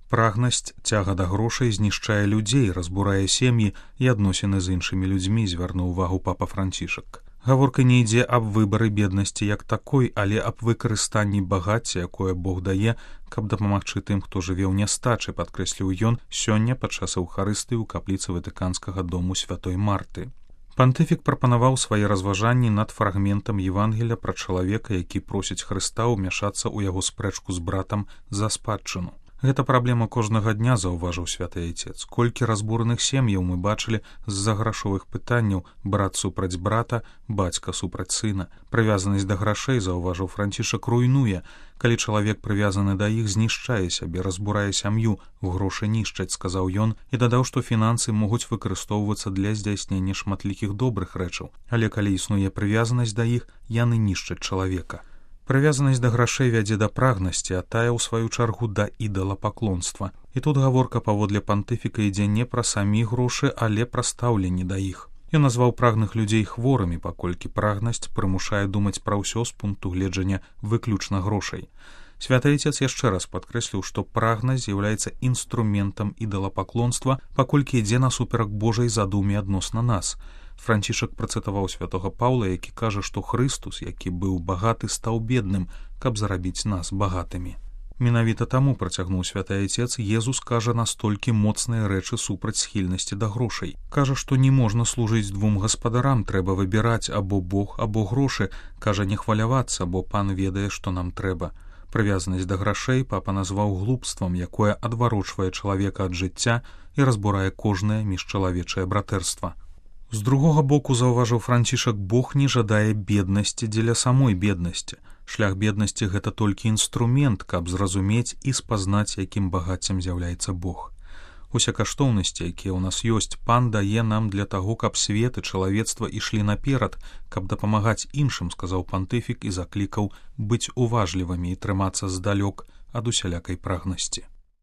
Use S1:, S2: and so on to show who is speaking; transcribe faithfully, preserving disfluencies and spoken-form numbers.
S1: Прагнасць, цяга да грошай знішчае людзей, разбурае сем'і і адносіны з іншымі людзьмі, звярнуў увагу папа Францішак. Гаворка не ідзе аб выбары беднасці як такой, але аб выкарыстанні багацця, якое Бог дае, каб дапамагчы тым, хто жыве ў нястачы, падкрэсліў ён сёння падчас эўхарыстыі ў капліцы Ватыканскага дому святой Марты. Пантыфік прапанаваў свае разважанні над фрагментам Евангелля пра чалавека, які просіць Хрыста ўмяшацца ў яго спрэчку з братам за спадчыну. Гэта праблема кожнага дня, заўважыў святы айцец. Колькі разбураных сем'яў мы бачылі з-за грашовых пытанняў: брат супраць брата, бацька супраць сына. Прывязанасць да грашэй, заўважыў Францішак, руйнуе. Калі чалавек прывязаны да іх, знішчае сябе, разбурае сям'ю, грошы нішчаць, сказаў ён, і дадаў, што фінансы могуць выкарыстоўвацца для здзяйснення шматлікіх добрых рэчаў, але калі існуе прывязанасць да іх, яны нішчаць чалавека. Прывязанасць да грашэй вядзе да прагнасці, а тая, у сваю чаргу, да ідалапаклонства. І тут гаворка паводле пантыфіка ідзе не пра самі грошы, але пра стаўленне да іх. Ён назваў прагных людзей хворымі, паколькі прагнасць прымушае думаць пра ўсё з пункту гледжання выключна грошай. Святы айцец яшчэ раз падкрэсліў, што прагнасць з'яўляецца інструментам ідалапаклонства, паколькі ідзе насуперак Божай задуме адносна нас. Францішак працытаваў святога Паўла, які кажа, што Хрыстус, які быў багаты, стаў бедным, каб зарабіць нас багатымі. Менавіта таму, працягнуў святы айцец, Езус кажа настолькі моцныя рэчы супраць схільнасці да грошай. Кажа, што не можна служыць двум гаспадарам, трэба выбіраць або Бог, або грошы. Кажа, не хвалявацца, бо пан ведае, што нам трэба. Прывязанасць да грашэй папа назваў глупствам, якое адварочвае чалавека ад жыцця і разбурае кожнае міжчалавечае братэрства. З другога боку, заўважыў Францішак, Бог не жадае беднасці дзеля самой беднасці. Шлях беднасці — гэта толькі інструмент, каб зразумець і спазнаць, якім багаццем з'яўляецца Бог. Усе каштоўнасці, якія ў нас ёсць, пан дае нам для таго, каб свет і чалавецтва ішлі наперад, каб дапамагаць іншым, сказаў пантыфік і заклікаў быць уважлівымі і трымацца здалёк ад усялякай прагнасці.